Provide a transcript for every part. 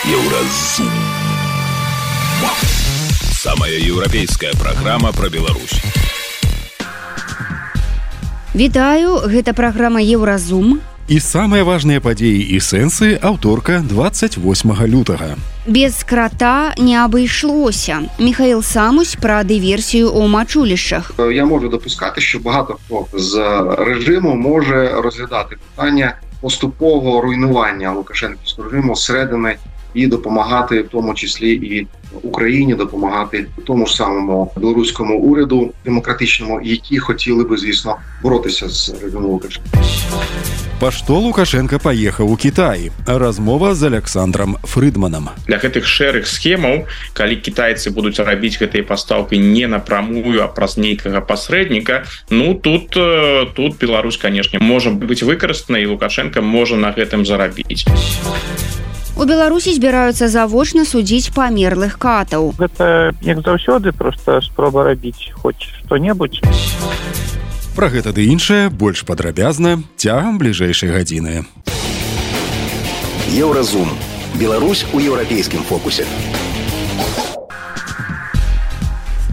Еўразум. Самая еўрапейская праграма пра Беларусь. Вітаю, гэта праграма Еўразум. І самыя важныя падзеі і сэнсы аўторка 28 лютага. Без крата не абышлося. Михаил Самусь про диверсію у Мачулищах. Я можу допускати, що багато хто з режиму може розглядати питання поступового руйнування Лукашенківського режиму зсередини і допомагати, в тому числі і Україні, допомагати тому ж самому білоруському уряду демократичному, які хотіли би, звісно, боротися з режимом Лукашенка. Па што Лукашенко паехаў у Кітай? Размова з Александром Фрыдманам. Для гэтых шэрых схемаў, калі кітайцы будуць рабіць гэтыя пастаўкі не напрамую, а праз нейкага пасрэдніка, тут Беларусь, канешне, можа быць выкарыстана, і Лукашенко можа на гэтым зарабіць. У Беларусі збіраюцца завочна судзіць памерлых катаў. Гэта, як заўсёды, проста спроба рабіць хоць што-небудзь. Пра гэта ды іншае больш падрабязна цягам бліжэйшай гадзіны. Еўразум. Беларусь у еўрапейскім фокусе.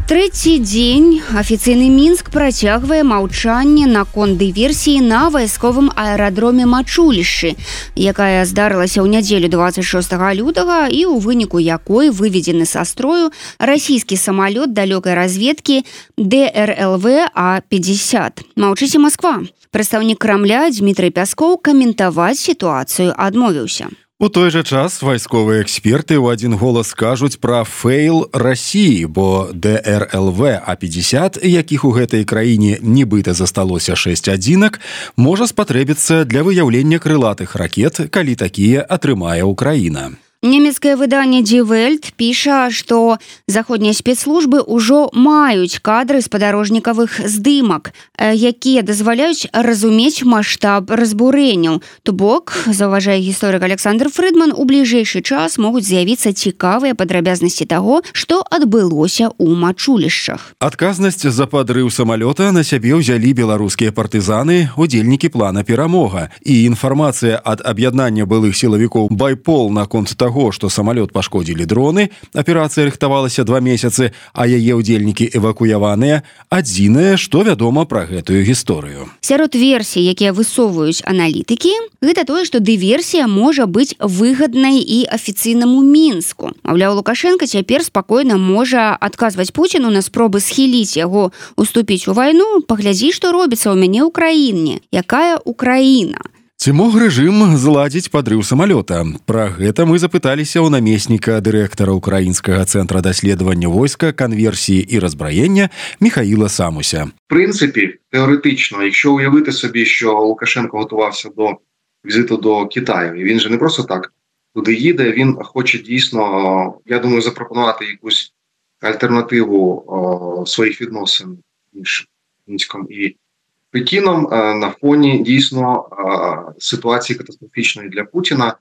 Трэці дзень афіцыйны Мінск працягвае маўчанне наконт дыверсіі на вайсковым аэрадроме Мачулішчы, якая здарылася ў нядзелю 26 лютага і ў выніку якой выведзены са строю расійскі самалёт далёкай разведкі ДРЛВ А-50. Маўчыце Масква. Прадстаўнік Крамля Дмітрый Пяскоў каментаваць сітуацыю адмовіўся. У той жа час вайсковыя эксперты ў адзін голас кажуць пра фэйл Расіі, бо ДРЛВ А-50, якіх у гэтай краіне нібыта засталося 6 адзінак, можа спатрэбіцца для выяўлення крылатых ракет, калі такія атрымае Украіна. Немецкае выданне Die Welt піша, што заходнія спецслужбы ўжо маюць кадры спадарожнікавых здымак, якія дазваляюць разумець маштаб разбурэнняў. То бок, заўважае гісторык Александр Фрыдман, у бліжэйшы час могуць з'явіцца цікавыя падрабязнасці таго, што адбылося ў Мачулішчах. Адказнасць за падрыў самалёта на сябе ўзялі беларускія партызаны, удзельнікі плана «Перамога». І інфармацыя ад аб'яднання былых сілавікоў «Байпол» наконт таго, што самалёт пашкодзілі дроны, аперацыя рыхтавалася 2 месяцы, а яе ўдзельнікі эвакуяваныя, адзінае, што вядома пра гэтую гісторыю. Сярод версій, якія высоўваюць аналітыкі, гэта тое, што дыверсія можа быць выгаднай і афіцыйнаму Мінску. Маўляў, Лукашенко цяпер спакойна можа адказваць Пуціну на спробы схіліць яго уступіць у вайну. Паглядзі, што робіцца ў мяне ў краіне. Якая Украіна? Ці мог рэжым зладзіць падрыў самалёта? Пра гэта мы запыталіся ў намесніка дырэктара Украінскага цэнтра даследавання войска, канверсіі і разбраення Михаила Самуся. В принципі, теоретично, якщо уявити собі, що Лукашенко готувався до візиту до Китаю, і він же не просто так туди їде, він хоче дійсно, я думаю, запропонувати якусь альтернативу своїх відносин між Мінськом і Пекіном на фоні дійсно ситуації катастрофічної для Путіна.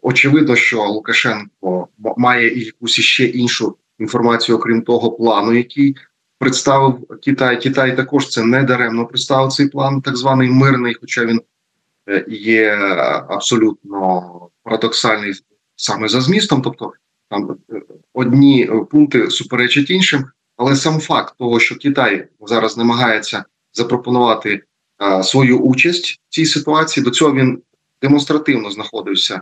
Очевидно, що Лукашенко має якусь ще іншу інформацію, окрім того плану, який представив Китай. Китай також це не даремно представив цей план, так званий мирний, хоча він є абсолютно парадоксальний саме за змістом, тобто там одні пункти суперечать іншим. Але сам факт того, що Китай зараз намагається запропонувати свою участь в цій ситуації, до цього він демонстративно знаходився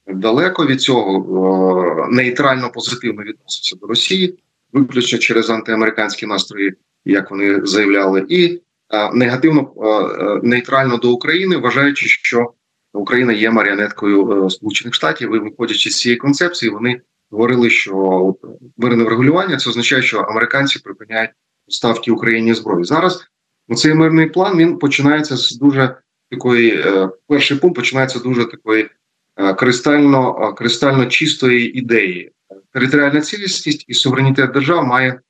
далеко від цього, нейтрально позитивно відносився до Росії, виключно через антиамериканські настрої, як вони заявляли, і негативно, нейтрально до України, вважаючи, що Україна є маріонеткою Сполучених Штатів, і виходячи з цієї концепції, вони говорили, що мирне врегулювання – це означає, що американці припиняють поставки Україні зброї. Зараз цей мирний план, він починається з дуже такої, перший пункт починається з дуже такої кристально чистої ідеї. Територіальна цілісність і суверенітет держав має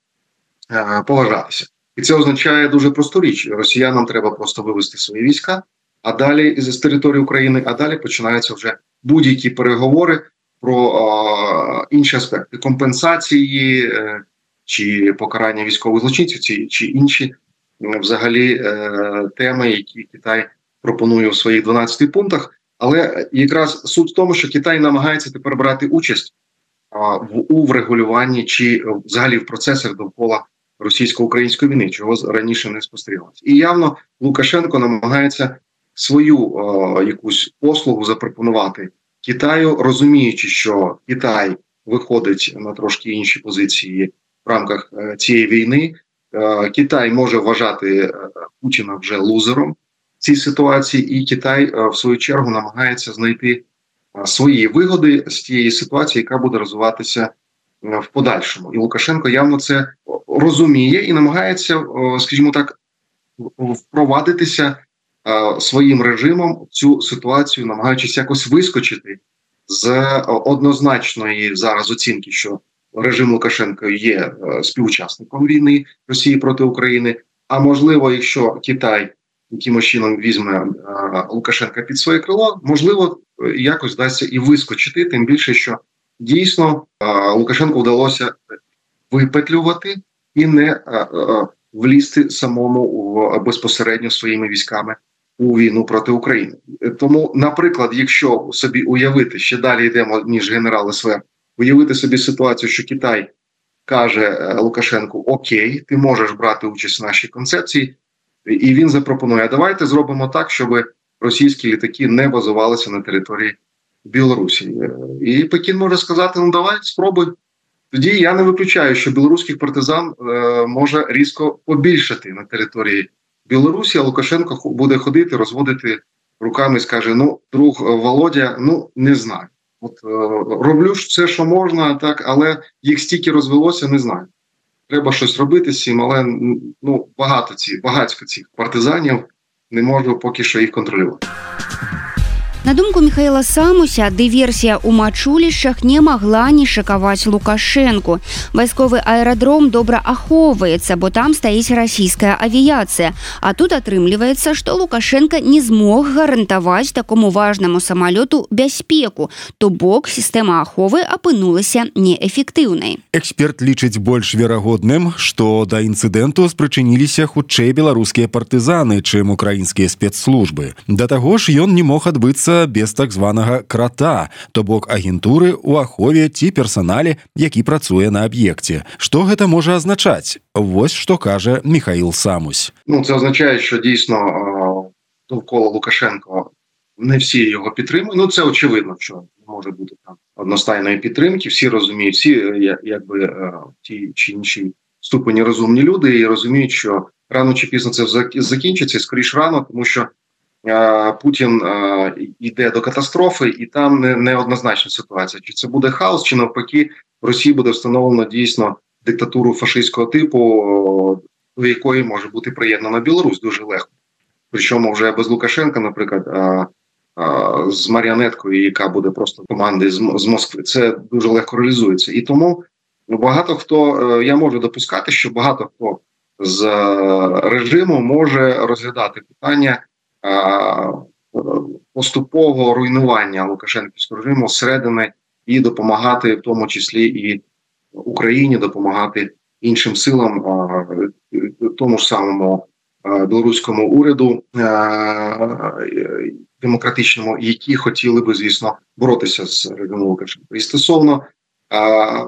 поважатися. І це означає дуже просту річ. Росіянам треба просто вивести свої війська, а далі з території України, а далі починаються вже будь-які переговори про інші аспекти компенсації чи покарання військових злочинців, чи інші взагалі теми, які Китай пропонує у своїх 12 пунктах. Але якраз суть в тому, що Китай намагається тепер брати участь у врегулюванні чи взагалі в процесах довкола російсько-української війни, чого раніше не спостерігалося. І явно Лукашенко намагається свою якусь послугу запропонувати Китаю, розуміючи, що Китай виходить на трошки інші позиції в рамках цієї війни. Китай може вважати Путіна вже лузером в цій ситуації, і Китай, в свою чергу, намагається знайти свої вигоди з тієї ситуації, яка буде розвиватися в подальшому. І Лукашенко явно це розуміє і намагається, скажімо так, впровадитися своїм режимом в цю ситуацію, намагаючись якось вискочити з однозначної зараз оцінки, що режим Лукашенка є співучасником війни Росії проти України, а можливо, якщо Китай якимось чином візьме Лукашенка під своє крило, можливо, якось вдасться і вискочити, тим більше, що дійсно Лукашенку вдалося випетлювати і не влізти самому безпосередньо своїми військами у війну проти України. Тому, наприклад, якщо собі уявити, ще далі йдемо, ніж генерал СВР, уявити собі ситуацію, що Китай каже Лукашенку: окей, ти можеш брати участь в нашій концепції, і він запропонує: а давайте зробимо так, щоб російські літаки не базувалися на території Білорусі. І Пекін може сказати: ну давай, спробуй. Тоді я не виключаю, що білоруських партизан може різко побільшати на території Білорусі, а Лукашенко буде ходити, розводити руками і скаже: ну, друг Володя, ну, не знаю. От роблю ж все, що можна, так, але їх стільки розвелося, не знаю. Треба щось робити з цим, але ну, багатько цих партизанів, не можу поки що їх контролювати. На думку Михаила Самуся, дыверсія ў мачулішчах не магла не шакаваць Лукашэнку. Вайсковы аэрадром добра ахоўваецца, бо там стаіць расійская авіяцыя. А тут атрымліваецца, што Лукашенко не змог гарантаваць такому важнаму самалёту бяспеку, то бок сістэма аховы апынулася неэфектыўнай. Эксперт лічыць больш верагодным, што да інцыдэнту спрычыніліся хутчэй беларускія партызаны, чым украінскія спецслужбы. Да таго ж ён не мог адбыцца без так званага крата, то бок агентуры ў ахове ці персанале, які працуе на аб'екце. Што гэта можа азначаць? Вось што кажа Михаил Самусь. Ну, це означає, що дійсно довкола Лукашенко не всі його підтримують. Ну, це очевидно, що не може бути там одностайної підтримки. Всі розуміють, всі якби ті чи інші ступені розумні люди і розуміють, що рано чи пізно це закінчиться, скоріш рано, тому що Путін йде до катастрофи, і там неоднозначна ситуація. Чи це буде хаос, чи навпаки в Росії буде встановлено дійсно диктатуру фашистського типу, до якої може бути приєднана Білорусь дуже легко. Причому вже без Лукашенка, наприклад, з маріонеткою, яка буде просто команди з Москви. Це дуже легко реалізується. І тому багато хто, я можу допускати, що багато хто з режиму може розглядати питання поступового руйнування Лукашенківського режиму зсередини і допомагати, в тому числі і Україні, допомагати іншим силам, тому ж самому білоруському уряду демократичному, які хотіли би, звісно, боротися з режимом Лукашенка. І стосовно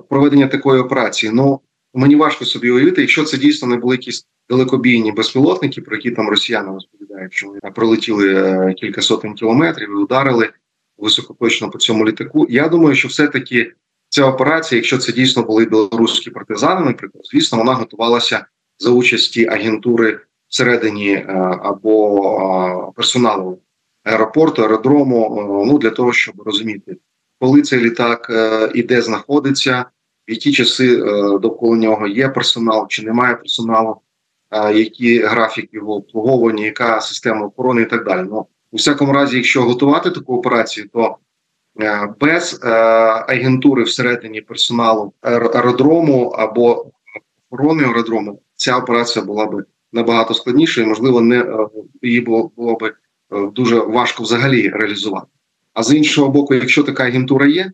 проведення такої операції, ну, мені важко собі уявити, якщо це дійсно не були якісь далекобійні безпілотники, про які там росіяни розповідають, що вони пролетіли кілька сотень кілометрів і ударили високоточно по цьому літаку. Я думаю, що все-таки ця операція, якщо це дійсно були білоруські партизани, наприклад, звісно, вона готувалася за участі агентури всередині або персоналу аеропорту, аеродрому, ну, для того, щоб розуміти, коли цей літак і де знаходиться, в які часи довкола нього є персонал чи немає персоналу, який графік його обслуговування, яка система охорони і так далі. Ну, у всякому разі, якщо готувати таку операцію, то без агентури всередині персоналу аеродрому або охорони аеродрому ця операція була б набагато складніша і, можливо, її було б дуже важко взагалі реалізувати. А з іншого боку, якщо така агентура є,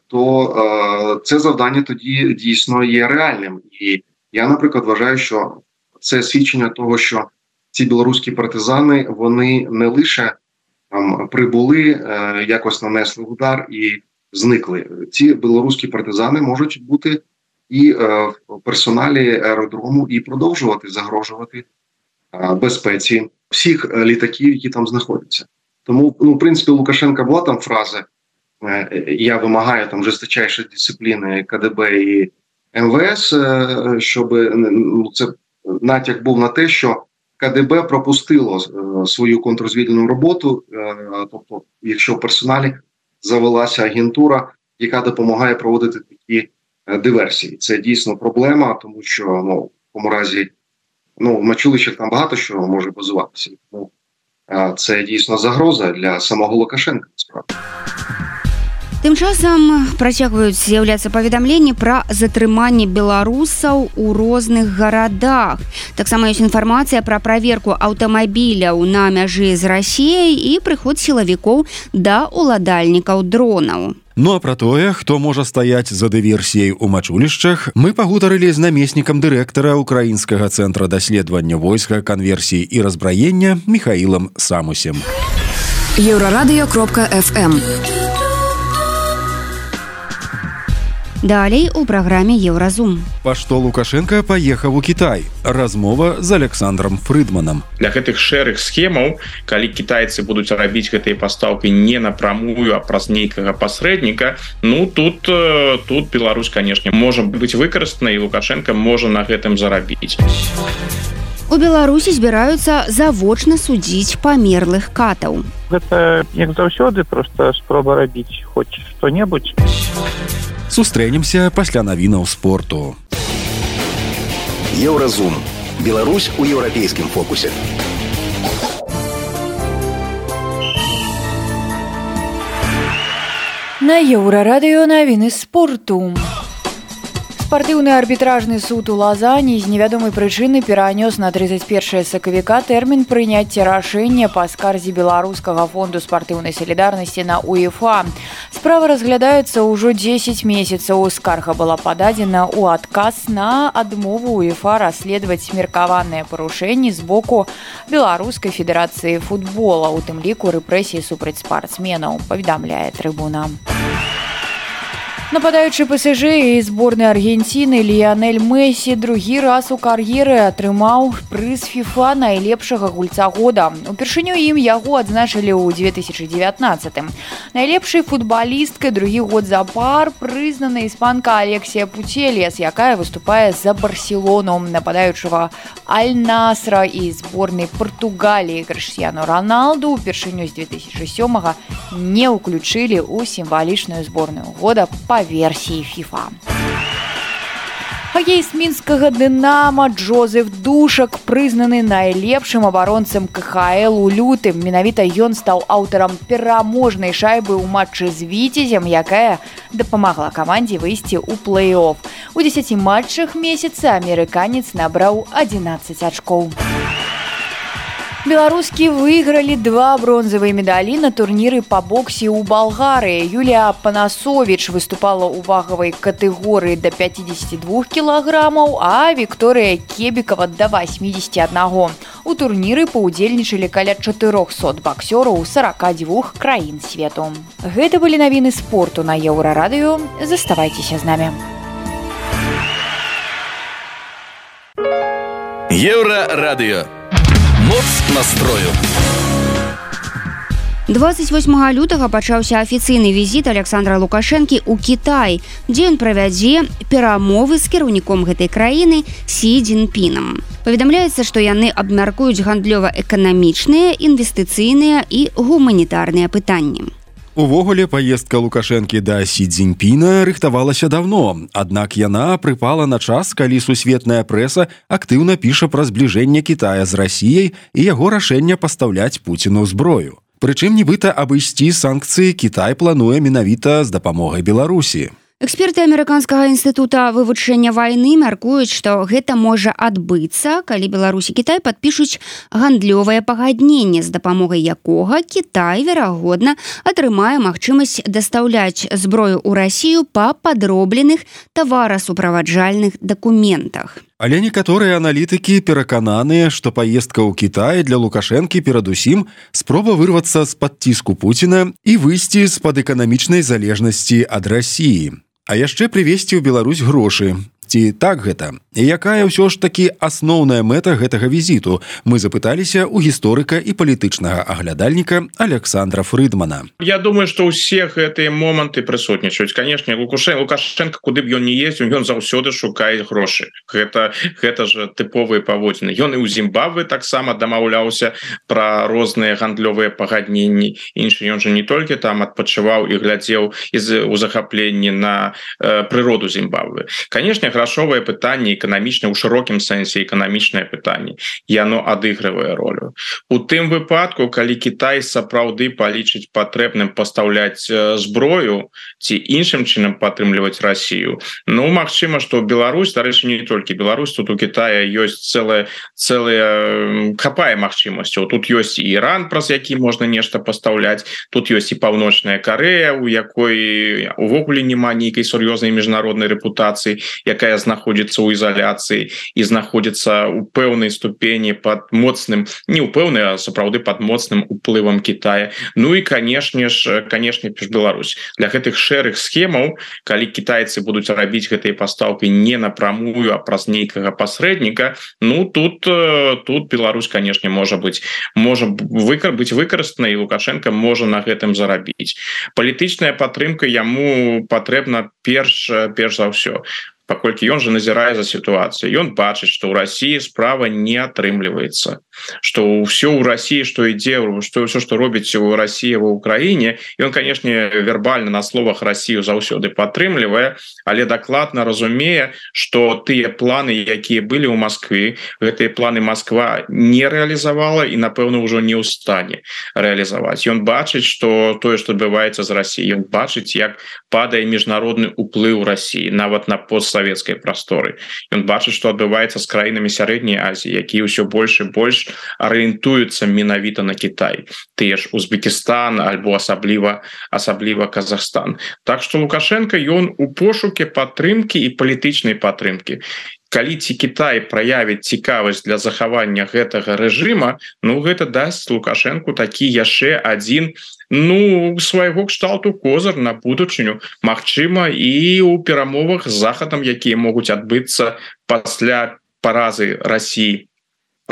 то це завдання тоді дійсно є реальним. І я, наприклад, вважаю, що це свідчення того, що ці білоруські партизани, вони не лише там прибули, якось нанесли удар і зникли. Ці білоруські партизани можуть бути і в персоналі аеродрому і продовжувати загрожувати безпеці всіх літаків, які там знаходяться. Тому, в принципі, у Лукашенка була там фраза «Я вимагаю там жорсточайшої дисципліни КДБ і МВС», щоб це натяк був на те, що КДБ пропустило свою контррозвідувальну роботу, тобто, якщо в персоналі завелася агентура, яка допомагає проводити такі диверсії. Це дійсно проблема, тому що в тому разі в Мачулищах там багато що може базуватися. Тому це дійсно загроза для самого Лукашенка, насправді. Тым часам працягваюць з'яўляцца паведамленні пра затрыманне беларусаў у розных гарадах. Таксама ёсць інфармацыя пра праверку аўтамабіляў на мяжы з Расіяй і прыход сілавікоў да ўладальнікаў дронаў. Ну а пра тое, хто можа стаяць за дыверсіяй у Мачулішчах, мы пагутарылі з намеснікам дырэктара Украінскага цэнтра даследавання войска, канверсіі і разбраення Міхаілам Самусем. Еўрарадыё.фм. Далей у праграме Еўразум. Па што Лукашенка паехаў у Кітай. Размова з Александром Фрыдманам. Для гэтых шэрых схемаў, калі кітайцы будуць рабіць гэтыя пастаўкі не напрамую, а праз нейкага пасрэдніка, тут Беларусь, канешне, можа быць выкарыстана, і Лукашенка можа на гэтым зарабіць. У Беларусі збіраюцца завочна судзіць памерлых катаў. Гэта, як заўсёды, проста спроба рабіць хоць што-небудзь. Сустрэнемся пасля навінаў спорту. Еўразум. Беларусь у еўрапейскім фокусе. На Еўрарадыё навіны спорту. Спартыўны арбітражны суд у Лазані з невядомай прычыны перанёс на 31 сакавіка тэрмін прыняцця рашэння па скарзе Беларускага фонду спартыўнай салідарнасці на УЕФА. Справа разглядаецца ўжо 10 месяцаў. Скарга была пададзена ў адказ на адмову УЕФА расследаваць меркаваныя парушэнні з боку Беларускай федэрацыі футбола, у тым ліку рэпрэсіі супраць спартсменаў, паведамляе трыбуна. Нападаючы ПСЖ і зборнай Аргенціны Ліянель Мессі другі раз у кар'еры атрымаў прыз ФІФА найлепшага гульца года. Упершыню ім яго адзначылі ў 2019-м. Найлепшай футбалісткай другі год запар прызнана іспанка Алексія Пуцельяс, якая выступае за Барселону. Нападаючага Аль-Насра і зборнай Партугаліі Крыштіяну Роналду упершыню з 2007-га не ўключылі ў сімвалічную зборную года па версіі ФІФА. Хакеіст мінскага «Дынама» Джозеф Душак прызнаны найлепшым абаронцам КХЛ у лютым. Менавіта ён стаў аўтарам пераможнай шайбы ў матчы з «Віцязем», якая дапамагла камандзе выйсці ў плэй-офф. У 10 матчах месяца амерыканец набраў 11 ачкоў. Беларускі выйгралі 2 бронзавыя медалі на турніры па боксе ў Балгарыі. Юлія Панасовіч выступала ў вагавай катэгорыі да 52 кілаграмаў, а Вікторыя Кебікава да 81. У турніры паўдзельнічалі каля 400 баксёраў 42 краін свету. Гэта былі навіны спорту на Еўрарадыё. Заставайцеся з намі. Еўрарадыё. Моц настрою. 28 лютага пачаўся афіцыйны візіт Александра Лукашэнкі ў Кітай, дзе ён правядзе перамовы з кіраўніком гэтай краіны Сі Цзіньпінам. Паведамляецца, што яны абмяркуюць гандлёва-эканамічныя, інвестыцыйныя і гуманітарныя пытанні. Увогуле, паездка Лукашэнкі да Сі Цзіньпіна рыхтавалася даўно, аднак яна прыпала на час, калі сусветная прэса актыўна піша пра збліжэнне Кітая з Расіяй і яго рашэнне пастаўляць Пуціну зброю. Прычым нібыта абысці санкцыі Кітай плануе менавіта з дапамогай Беларусі. Эксперты Амерыканскага інстытута вывучэння вайны мяркуюць, што гэта можа адбыцца, калі Беларусь і Кітай падпішуць гандлёвае пагадненне, з дапамогай якога Кітай, верагодна, атрымае магчымасць дастаўляць зброю ў Расію па падробленых таварасуправаджальных дакументах. Але некаторыя аналітыкі перакананыя, што паездка ў Кітай для Лукашэнкі перадусім спроба вырвацца з-пад ціску Пуціна і выйсці з-пад эканамічнай залежнасці ад Расіі. А яшчэ прывезці ў Беларусь грошы. Ці так гэта? І якая ўсё ж такі асноўная мэта гэтага візіту? Мы запыталіся ў гісторыка і палітычнага аглядальніка Александра Фрыдмана. Я думаю, што ўсе гэтыя моманты прысутнічаюць. Канешне, Лукашенко, куды б ён не ездзіў, ён заўсёды шукае грошы. Гэта ж тыповыя паводзіны. Ён і ў Зімбабве таксама дамаўляўся пра розныя гандлёвыя пагадненні. Іншы ён жа не толькі там адпачываў і глядзеў у захапленні на прыроду Зімбабве. Канешне, грашовае пытанне эканамічнае ў шырокім сэнсе эканамічнае пытанне яно адыгрывае ролю у тым выпадку калі Кітай сапраўды палічыць патрэбным пастаўляць зброю ці іншым чынам падтрымліваць Расію. Ну магчыма што Беларусь, дарэчы, не толькі Беларусь, тут у Китая ёсць цэлая хапае магчымасцяў. Тут ёсць і Іран, праз які можна нешта пастаўляць, тут ёсць і Паўночная Карэя, у якой увогуле няма нейкай сур'ёзнай міжнароднай рэпутацыі, якая знаходзіцца ў ізаляцыі і знаходзіцца ў пэўнай ступені пад моцным, не ў пэўнай, а сапраўды пад моцным уплывам Китая. Ну і канешне Беларусь. Для гэтых шэрых схемаў, калі кітайцы будуць рабіць гэтыя пастаўкі не напрамую, а праз нейкага пасрэдніка, ну тут Беларусь, канешне, можа быць выкарыстана, і Лукашенко можа на гэтым зарабіць. Палітычная падтрымка яму патрэбна перш за ўсё. Паколькі ён же назірае за сітуацыю, ён бачыць, што ў Расіі справа не атрымліваецца, што ўсё ў Расіі, што ідзе, што ўсё, што робіць у Расіі ва Ўкраіне, ён, канешне, вербальна на словах Расію заўсёды падтрымлівае, але дакладна разумее, што тыя планы, якія былі ў Маскве, гэтыя планы Масква не рэалізавала і, напэўна, ўжо не ў стане рэалізаваць. Ён бачыць, што тое, што адбываецца з Расіяй, ён бачыць, як падае міжнародны ўплыў Расіі, нават на постсавецкай прасторы. Ён бачыць, што адбываецца з краінамі Сярэдняй Азіі, якія ўсё больш і больш арыентуюцца менавіта на Кітай. Тыя ж Узбекістан альбо асабліва Казахстан. Так што Лукашенко ён у пошуке падтрымкі і палітычнай падтрымкі. Калі ці Кітай праявіць цікавасць для захавання гэтага рэжыма, ну гэта дасць Лукашенку такі яшчэ адзін свайго кшталту козыр на будучыню, магчыма, і ў перамовах з Захадам, якія могуць адбыцца пасля паразы Расіі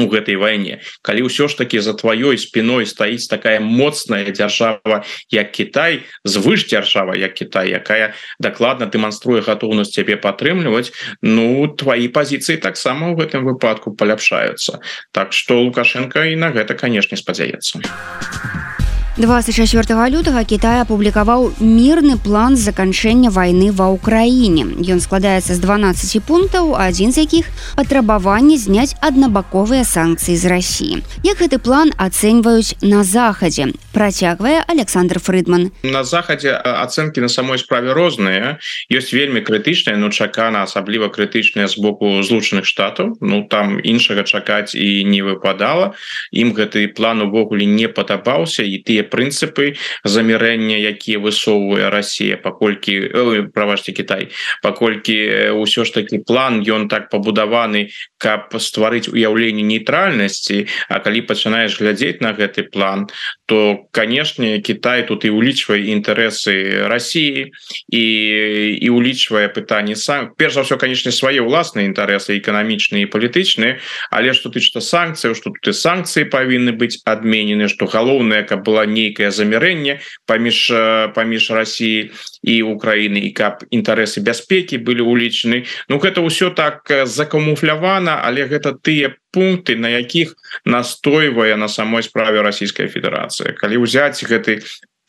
у гэтай вайне. Калі ўсё ж такі за тваёй спіной стаіць такая моцная дзяржава, як Кітай, звышдзяржава, як Кітай, якая дакладна дэманструе гатоўнасць цябе падтрымліваць, тваі пазіцыі таксама ў гэтым выпадку паляпшаюцца. Так што Лукашенко і на гэта, канешне, спадзяецца. 24 лютага Кітай апублікаваў мірны план заканчэння вайны ва Ўкраіне. Ён складаецца з 12 пунктаў, адзін з якіх патрабаванне зняць аднабаковыя санкцыі з Расіі. Як гэты план ацэньваюць на Захадзе? Працягвае Александр Фрыдман. На Захадзе ацэнкі на самой справе розныя. Ёсць вельмі крытычныя, чакана асабліва крытычныя з боку Злучаных Штатаў. Там іншага чакаць і не выпадала. Ім гэты план увогуле не падабаўся, і тыя прынцыпы замірэння, якія высоўвае Расія, Кітай, паколькі ўсё ж такі план, ён так пабудаваны, каб стварыць уяўленне нейтральнасці, а калі пачынаеш глядзець на гэты план, то, канешне, Кітай тут і ўлічвае інтарэсы Расіі і ўлічвае пытанні перш за ўсё, канешне, свае ўласныя інтарэсы эканамічныя і палітычныя, але што тычыцца санкцыяў, што тут і санкцыі павінны быць адменены, што галоўнае, каб была нейкае замірэнне паміж Расіяй і Украінай, і каб інтарэсы бяспекі былі ўлічаны. Гэта ўсё так закамуфлявана, але гэта тыя пункты, на якіх настойвае на самой справе Расійская Федэрацыя. Калі ўзяць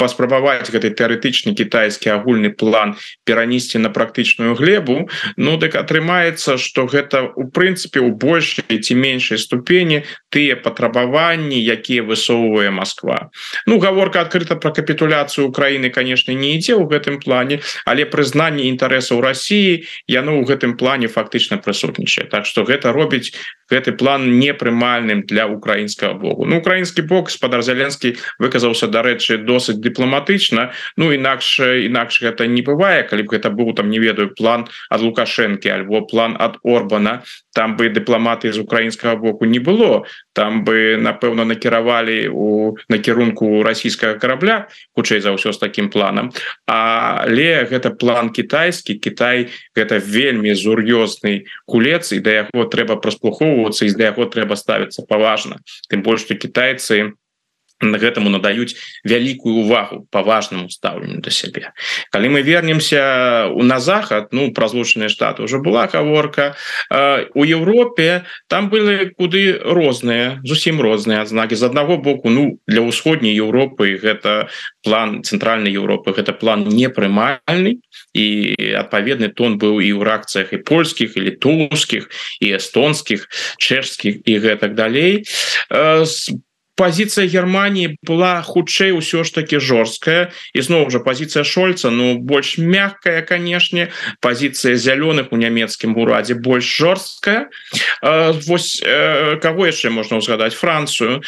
паспрабаваць гэты тэарэтычны кітайскі агульны план перанесці на практычную глебу, дык атрымаецца, што гэта у прынцыпе ў большай ці меншай ступені тыя патрабаванні, якія высоўвае Масква. Гаворка адкрыта пра капітуляцыю Украіны, канешне, не ідзе ў гэтым плане, але прызнанне інтарэсаў Расіі яно ў гэтым плане фактычна прысутнічае. Так што гэта робіць гэты план непрымальным для украінскага боку. Украінскі бок, гаспадар Зеленскі выказаўся, дарэчы, досыць дыпламатычна, інакш гэта не бывае, калі б гэта быў, не ведаю, план ад Лукашэнкі альбо план ад Орбана, там бы дыпламаты з украінскага боку не было, там бы напэўна накіравалі у накірунку расійскага карабля, хутчэй за ўсё з такім планам. Але гэта план кітайскі. Кітай гэта вельмі сур'ёзны гулец, і да яго трэба прыслухоўвацца, і да яго трэба ставіцца паважна. Тым больш, што кітайцы гэтаму надаюць вялікую увагу, паважнаму стаўленню да сябе. Калі мы вернемся на захад, пра Злучаныя Штаты ўжо была гаворка, у Еўропе там былі куды розныя, зусім розныя адзнакі. З аднаго боку, для ўсходняй Еўропы гэта план цэнтральнай Еўропы, гэта план непрымальны, і адпаведны тон быў і ў рэакцыях і польскіх, і літоўскіх, і эстонскіх, чэшскіх і гэтак далей. Позиция Германии была хутчэй ўсё ж таки жорсткая, і зноў жа позиция Шольца больш мягкая, канешне. Позиция зялёных у нямецкім урадзе больш жорсткая. Вось каго яшчэ можна ўзгадаць? Францыю.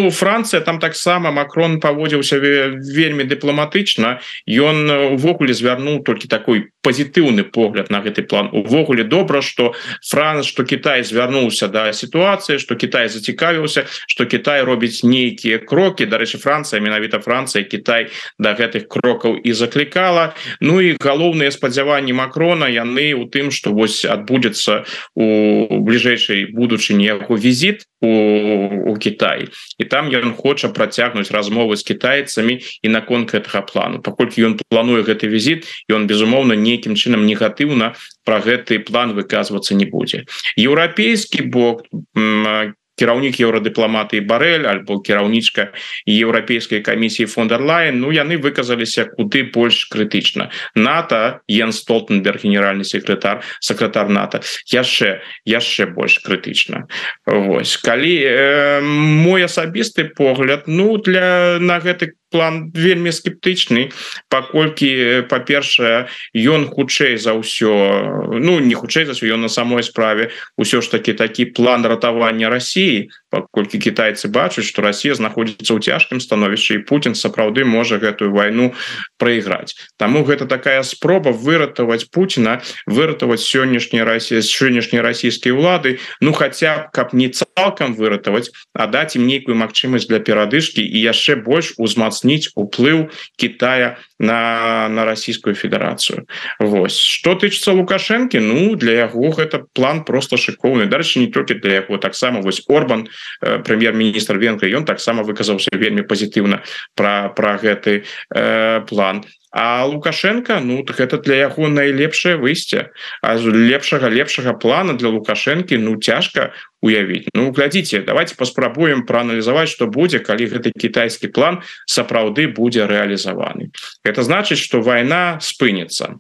Францыя, там таксама Макрон паводзіўся вельмі дыпламатычна. Ён увогуле звярнуў толькі такой пазітыўны погляд на гэты план. Увогуле добра, што Кітай звярнуўся да сітуацыі, што Кітай зацікавіўся, што Кітай робіць нейкія крокі. Дарэчы, Францыя, менавіта Францыя, Кітай да гэтых крокаў і заклікала. І галоўныя спадзяванні Макрона яны ў тым, што вось адбудзецца у бліжэйшай будучыні яго візіт у Кітай. І там ён хоча працягнуць размовы з кітайцамі і наконт гэтага плану. Паколькі ён плануе гэты візіт, ён, безумоўна, нейкім чынам негатыўна пра гэты план выказвацца не будзе. Еўрапейскі бок, кіраўнік еўрадыпламатыі Барэль альбо кіраўнічка еўрапейскай камісіі фон дер Лаен, яны выказаліся куды больш крытычна. НАТО, Йенс Столтенберг, генеральны сакратар НАТО, яшчэ больш крытычна. Вось. Калі мой асабісты погляд, на гэты план вельмі скептычны, паколькі, па-першае, ён хутчэй за ўсё, не хутчэй за ўсё, ён на самой справе ўсё ж такі такі план ратавання Расіі, паколькі кітайцы бачаць, што Расія знаходзіцца ў цяжкім становішчы, і Путін сапраўды можа гэтую вайну прайграць. Таму гэта такая спроба выратаваць Пуціна, выратаваць сённяшняй расійскай улады, хаця б, каб не цалкам выратаваць, а даць ім нейкую магчымасць для перадышкі і яшчэ больш узмацніць уплыў Китая на Расійскую Федэрацыю. Вось. Што тычыцца Лукашэнкі, для яго гэта план просто шыкоўны. Дарэчы, не толькі для яго, таксама вось Орбан, прэм'ер-міністр Венгрыі, ён таксама выказаўся вельмі пазітыўна пра гэты план. А Лукашенко, гэта для яго найлепшае выйсце. А лепшага плана для Лукашэнкі, цяжка уявіць. Глядзіце, давайте паспрабуем прааналізаваць, што будзе, калі гэты кітайскі план сапраўды будзе рэалізаваны. Гэта значыць, што вайна спыніцца.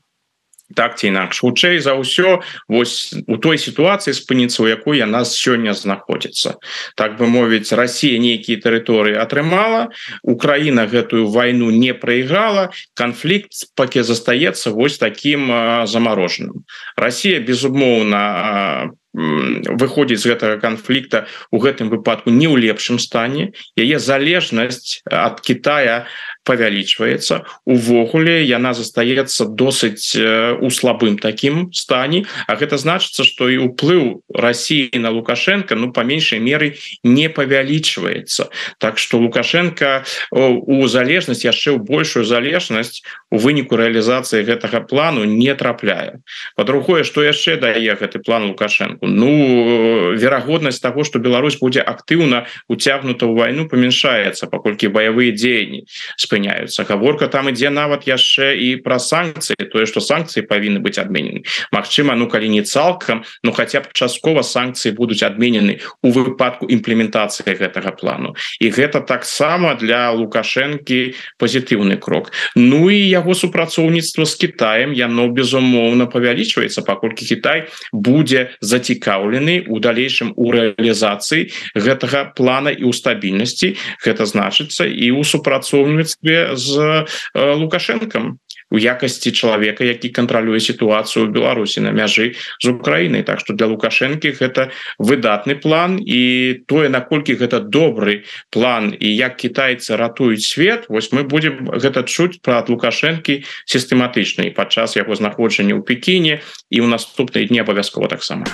Так ці інакш, хутчэй за ўсё вось у той сітуацыі спыніцца, у якой яна сёння знаходзіцца. Так бы мовіць, Расія нейкія тэрыторыі атрымала, Украіна гэтую вайну не прайграла, канфлікт пакі застаецца вось такім замарожаным. Расія, безумоўна, выходзіць з гэтага канфлікта у гэтым выпадку не ў лепшым стане. Яе залежнасць ад Китая павялічваецца. Увогуле яна застаецца досыць у слабым такім стане, а гэта значыцца, што і ўплыў Расіі на Лукашенка, па меншай меры не павялічваецца. Так што Лукашенка у залежнасць, яшчэ ў большую залежнасць у выніку рэалізацыі гэтага плану не трапляе. Па-другое, што яшчэ дае гэты план Лукашенку? Верагоднасць таго, што Беларусь будзе актыўна уцягнута ў вайну, памяншаецца, паколькі баявыя дзеянні спыняюцца. Гаворка там ідзе нават яшчэ і пра санкцыі, тое, што санкцыі павінны быць адменены. Магчыма, калі не цалкам, хаця б часткова санкцыі будуць адменены у выпадку імплементацыі гэтага плану. І гэта таксама для Лукашэнкі пазітыўны крок. І яго супрацоўніцтва з Кітаем, яно, безумоўна, павялічваецца, паколькі Кітай будзе зацікаўлены у далейшым у рэалізацыі гэтага плана і ў стабільнасці. Гэта значыцца і ў супрацоўніцтве з Лукашэнкам у якасці чалавека, які кантралюе сітуацыю ў Беларусі на мяжы з Украінай. Так што для Лукашэнкі гэта выдатны план, і тое, наколькі гэта добры план і як кітайцы ратуюць свет, вось мы будзем гэта чуць пра Лукашэнкі сістэматычна і падчас яго знаходжання ў Пекіне і ў наступныя дні абавязкова таксама.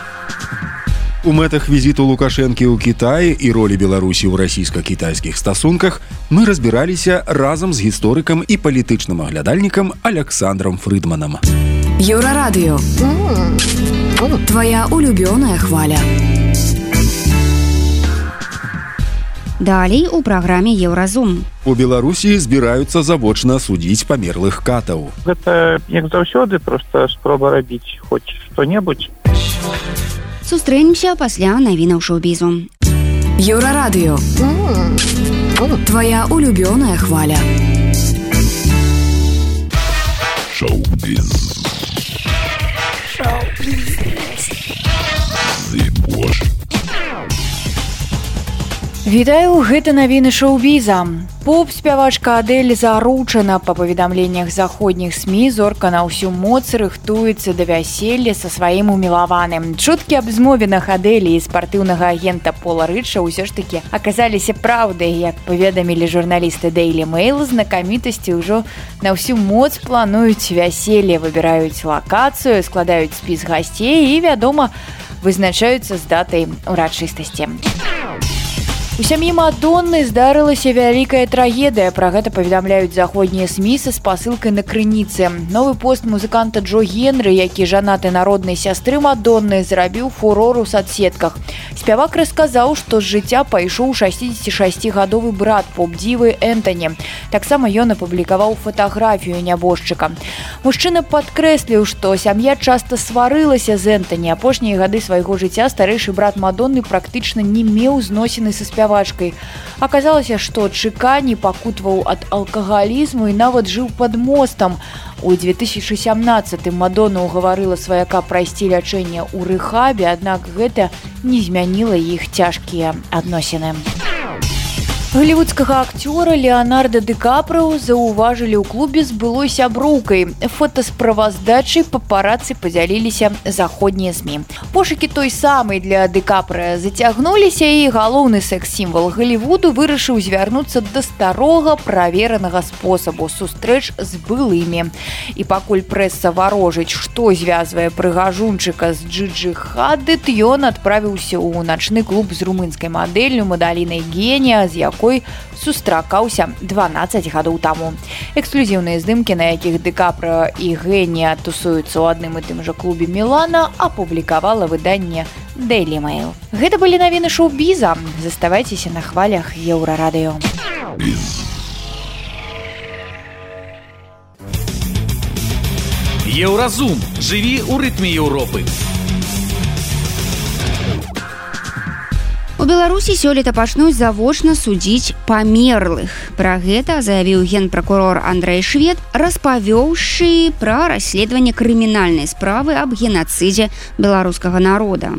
У мэтах візіту Лукашэнкі ў Кіtaі і ролі Беларусі ў расійска-кітайскіх стасунках мы разбіраліся разам з гісторыкам і палітычным аглядальнікам Александром Фрыдманам. Еўрарадыё. Твоя улюбёная хваля. Далей у праграме Еўразум. У Беларусі збіраюцца завочна судзіць памерлых катаў. Гэта, як заўсёды, проста спроба рабіць хоць што-небудзь. Сустрэнемся пасля навінаў шоу-бізу. Еўрарадыё. Твоя улюбёная хваля. Шоу-біз. Вітаю, гэта навіны шоу-біза. Поп-спявачка Адэль заручана. Па паведамленнях заходніх СМІ, зорка на ўсю моц рыхтуецца да вяселля са сваім умілаваным. Чуткі аб змовінах Адэлі і спартыўнага агента Пола Рыча ўсё ж такі аказаліся праўдай. Як паведамілі журналісты Daily Mail, знакамітасці ўжо на ўсю моц плануюць вяселле, выбіраюць лакацыю, складаюць спіс гасцей і, вядома, вызначаюцца з датай урачыстасці. У сям'і Мадонны здарылася вялікая трагедыя. Пра гэта паведамляюць заходнія СМІ са спасылкай на крыніцы. Новы пост музыканта Джо Генры, які жанаты на роднай сястры Мадонны, зрабіў фурор у соцсетках. Спявак расказаў, што з жыцця пайшоў 66-гадовы брат поп-дзівы Энтані. Таксама ён апублікаваў фатаграфію нябожчыка. Мужчына падкрэсліў, што сям'я часта сварылася з Энтані. Апошнія гады свайго жыцця старэйшы брат Мадонны практычна не меў зносіны са спявачкай. Аказалася, што Чыка не пакутваў ад алкагалізму і нават жыў пад мостам. У 2017-м Мадонна ўгаварыла сваяка прайсці лячэнне ў рэхабе, аднак гэта не змяніла іх цяжкія адносіны. Голливудскага акцёра Леонардо Ди Каприо заўважылі ў клубе з былой сяброўкай. Фотасправаздачай папарацы падзяліліся заходнія СМІ. Пошукі той самай для Ди Каприо зацягнуліся, і галоўны секс-сімвал Голливуду вырашыў звярнуцца да старога праверанага спосабу сустрэч з былымі. І пакуль прэса варожыць, што звязвае прыгажунчыка з Джиджи Хадид, ён адправіўся ў начны клуб з румынскай мадэллю Мадалінай Генія, з якой сустракаўся 12 гадоў таму. Эксклюзіўныя здымкі, на якіх Ди Каприо і Генія тусуюцца ў адным і тым жа клубе Мілана, апублікавала выданне Daily Mail. Гэта былі навіны шоу-біза. Заставайцеся на хвалях Еўрарадыё. Еўразум. Жыві ў рытме Еўропы. У Беларусі сёлета пачнуць завочна судзіць памерлых. Пра гэта заявіў генпракурор Андрэй Швед, распавёўшы пра расследаванне крымінальнай справы аб генацыдзе беларускага народа.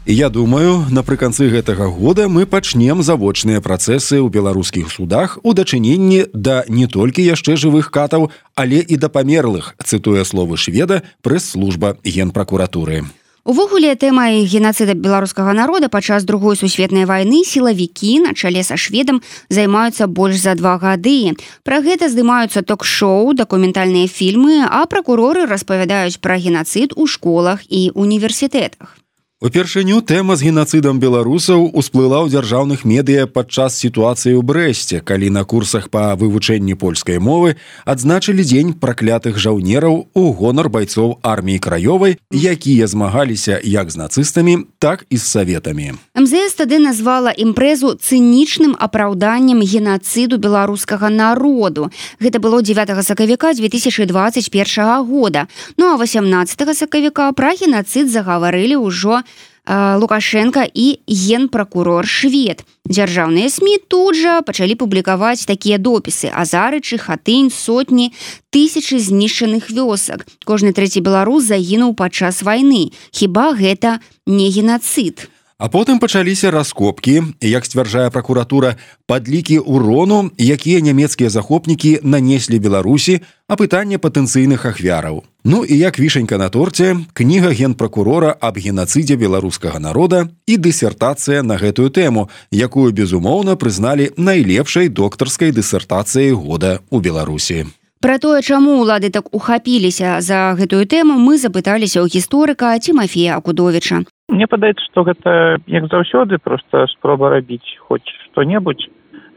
Я думаю, напрыканцы гэтага года мы пачнем завочныя працэсы ў беларускіх судах у дачыненні да не толькі яшчэ жывых катаў, але і да памерлых, цытуе словы Шведа прэс-служба генпракуратуры. Увогуле, тэмай генацыда беларускага народа падчас Другой сусветнай вайны сілавікі на чале са Шведам займаюцца больш за 2 гады. Пра гэта здымаюцца ток-шоу, дакументальныя фільмы, а пракуроры распавядаюць пра генацыд у школах і універсітэтах. Упершыню тэма з генацыдам беларусаў усплыла ў дзяржаўных медыя падчас сітуацыі ў Брэсце, калі на курсах па вывучэнні польскай мовы адзначылі дзень праклятых жаўнераў у гонар байцоў арміі краёвай, якія змагаліся як з нацыстамі, так і з саветамі. МЗС тады назвала імпрэзу цынічным апраўданнем генацыду беларускага народу. Гэта было 9 сакавіка 2021 года. Ну а 18 сакавіка пра генацыд загаварылі ўжо Лукашенко і генпракурор Швед. Дзяржаўныя СМІ тут жа пачалі публікаваць такія допісы: Азарычы, Хатынь, сотні, тысячы знішчаных вёсак. Кожны трэці беларус загінуў падчас вайны. Хіба гэта не генацыд? А потым пачаліся раскопкі, як сцвярджае пракуратура, падлікі ўрону, якія нямецкія захопнікі нанеслі Беларусі, апытанне патэнцыйных ахвяраў. Ну і як вішенька на торце, кніга генпракурора аб генацыдзе беларускага народа і дысертацыя на гэтую тэму, якую, безумоўна, прызналі найлепшай доктарскай дысертацыяй года ў Беларусі. Пра тое, чаму ўлады так ухапіліся за гэтую тэму, мы запыталіся ў гісторыка Тимофея Акудовіча. Мне падаецца, што гэта, як заўсёды, проста спроба рабіць хоць што-небудзь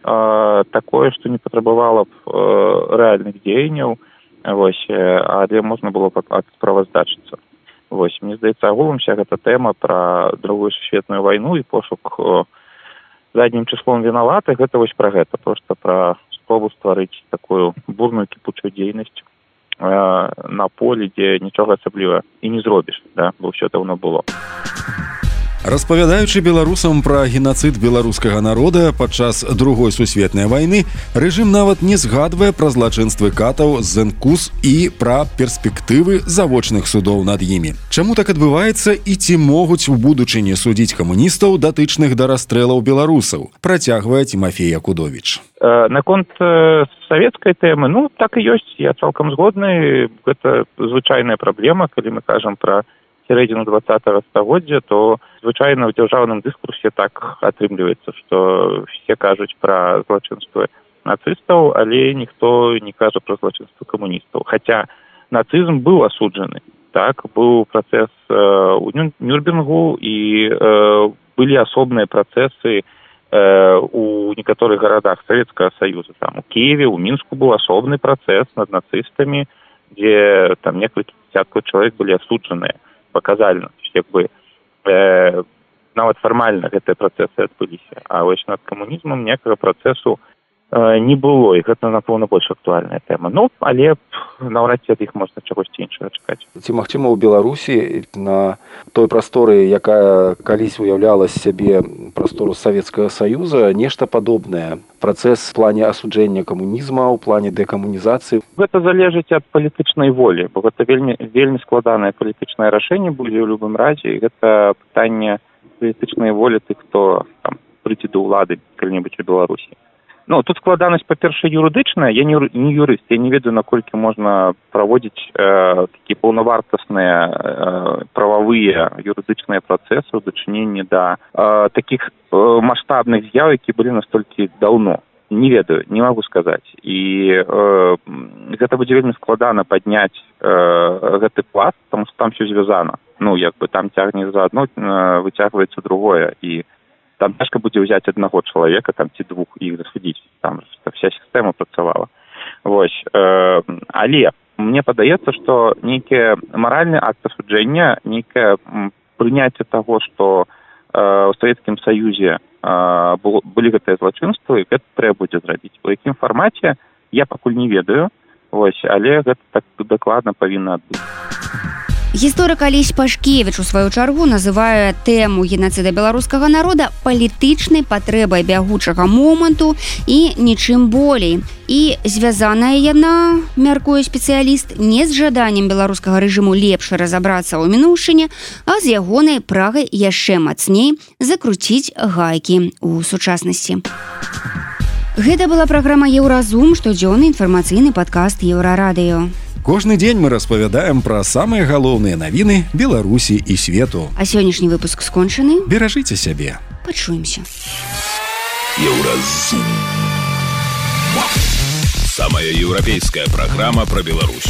такое, што не патрабавала б рэальных дзеянняў, але можна было б справаздачыцца. Мне здаецца, агулам вся гэта тэма пра Другую сусветную вайну і пошук заднім числом вінаватых, гэта вось пра гэта, проста пра спробу стварыць такую бурную кіпучую дзейнасць на полі, дзе нічога асабліва і не зробіш, бо ўсё даўно было. Распавядаючы беларусам пра генацыд беларускага народа падчас Другой сусветнай вайны, рэжым нават не згадвае пра злачынствы катаў з Зенкус і пра перспектывы завочных судоў над імі. Чаму так адбываецца і ці могуць у будучыні судзіць камуністаў, датычных да расстрэлаў беларусаў? Працягвае Тимофей Якудович. Наконт савецкай тэмы, так і ёсць, я цалкам згодны, гэта звычайная праблема, калі мы кажам пра сярэдзіну 20-го стагоддзя, то звычайна ў дзяржаўным дыскурсе так атрымліваецца, што все кажуць пра злачынствы нацыстаў, але ніхто не кажа пра злачынствы камуністаў. Хаця нацызм быў асуджаны, быў працэс у Нюрнбергу і былі асобныя працэсы у некаторых гарадах Савецкага Саюза. У Киеве, у Мінску быў асобны працэс над нацыстамі, дзе там некалькі дзесяткаў чалавек былі асуджаныя паказальна, нават фармальна гэтыя працэсы адбыліся. А вось над камунізмам ніякага працэсу не было, і гэта, напэўна, больш актуальная тэма. Але наўрад ці ад іх можна чагосьці іншага чакаць. Ці магчыма ў Беларусі на той прасторы, якая калісь уяўляла сябе прастору Савецкага Саюза, нешта падобнае? Працэс в плане асуджэння камунізма, у плане дэкамунізацыі? Гэта залежыць ад палітычнай волі, бо гэта вельмі складанае палітычнае рашэнне будзе ў любым разе, і гэта пытанне палітычнай волі тых, хто прыйдзе да ўлады калі-небудзь у Беларусі. Тут складанасць, па-першае, юрыдычная. Я не юрыст, я не ведаю, наколькі можна праводзіць такія паўнавартасныя прававыя юрыдычныя працэсы ў дачыненні да такіх маштабных з'яў, які былі настолькі даўно. Не ведаю, не магу сказаць. І гэта будзе вельмі складана падняць гэты пласт, таму што там ўсё звязана. Там цягне за адно, выцягваецца другое, і там цяжка будзе ўзяць аднаго чалавека, ці двух, і іх засудзіць. Там вся сістэма працавала. Але мне падаецца, што нейкі маральны акт асуджэння, нейкае прыняцце таго, што ў Савецкім Саюзе былі гэтыя злачынствы, гэта трэба будзе зрабіць. У якім фармаце, я пакуль не ведаю, але гэта так дакладна павінна адбыцца. Гісторык Алесь Пашкевіч у сваю чаргу называе тэму генацыда беларускага народа палітычнай патрэбай бягучага моманту і нічым болей. І звязаная яна, мяркуе спецыяліст, не з жаданнем беларускага рэжыму лепш разабрацца ў мінуўшчыне, а з ягонай прагай яшчэ мацней закруціць гайкі ў сучаснасці. Гэта была праграма «Еўразум», штодзённы інфармацыйны падкаст «Еўрарадыё». Кожны дзень мы распавядаем пра самыя галоўныя навіны Беларусі і свету. А сённяшні выпуск скончаны. Беражыце сябе. Пачуемся. Еўразум. Самая еўрапейская праграма пра Беларусь.